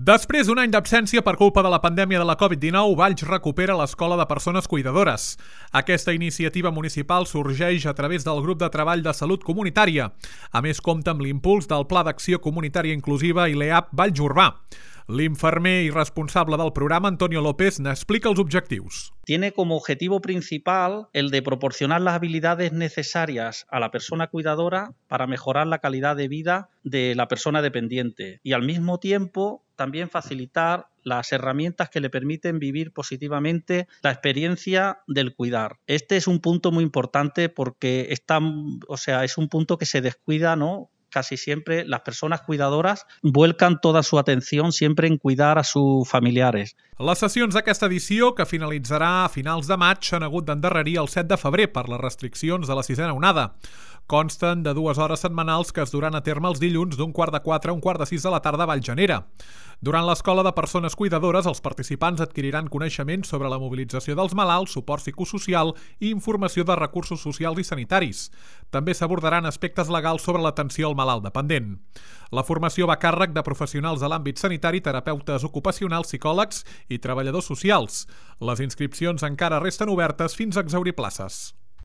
Després d'un any d'absència per culpa de la pandèmia de la Covid-19, Valls recupera l'Escola de Persones Cuidadores. Aquesta iniciativa municipal sorgeix a través del grup de treball de salut comunitària. A més, compta amb l'impuls del Pla d'Acció Comunitària Inclusiva i l'EAP Valls Urbà. L'infermer i responsable del programa, Antonio López, n'explica els objectius. Tiene como objetivo principal el de proporcionar las habilidades necesarias a la persona cuidadora para mejorar la calidad de vida de la persona dependiente y al mismo tiempo también facilitar las herramientas que le permiten vivir positivamente la experiencia del cuidar. Este es un punto muy importante porque es un punto que se descuida, ¿no? Casi siempre las personas cuidadoras vuelcan toda su atención siempre en cuidar a sus familiares. Les sessions d'aquesta edició, que finalitzarà a finals de maig, s'han hagut d'endarrerir el 7 de febrer per les restriccions de la sisena onada. Consten de 2 hores setmanals que es duran a terme els dilluns d'1 quart de 4 a 1 quart de 6 de la tarda a Vallgenera. Durant l'Escola de Persones Cuidadores, els participants adquiriran coneixements sobre la mobilització dels malalts, suport psicosocial i informació de recursos socials i sanitaris. També s'abordaran aspectes legals sobre l'atenció al malalt dependent. La formació va a càrrec de professionals de l'àmbit sanitari, terapeutes ocupacionals, psicòlegs i treballadors socials. Les inscripcions encara resten obertes fins a exhaurir places.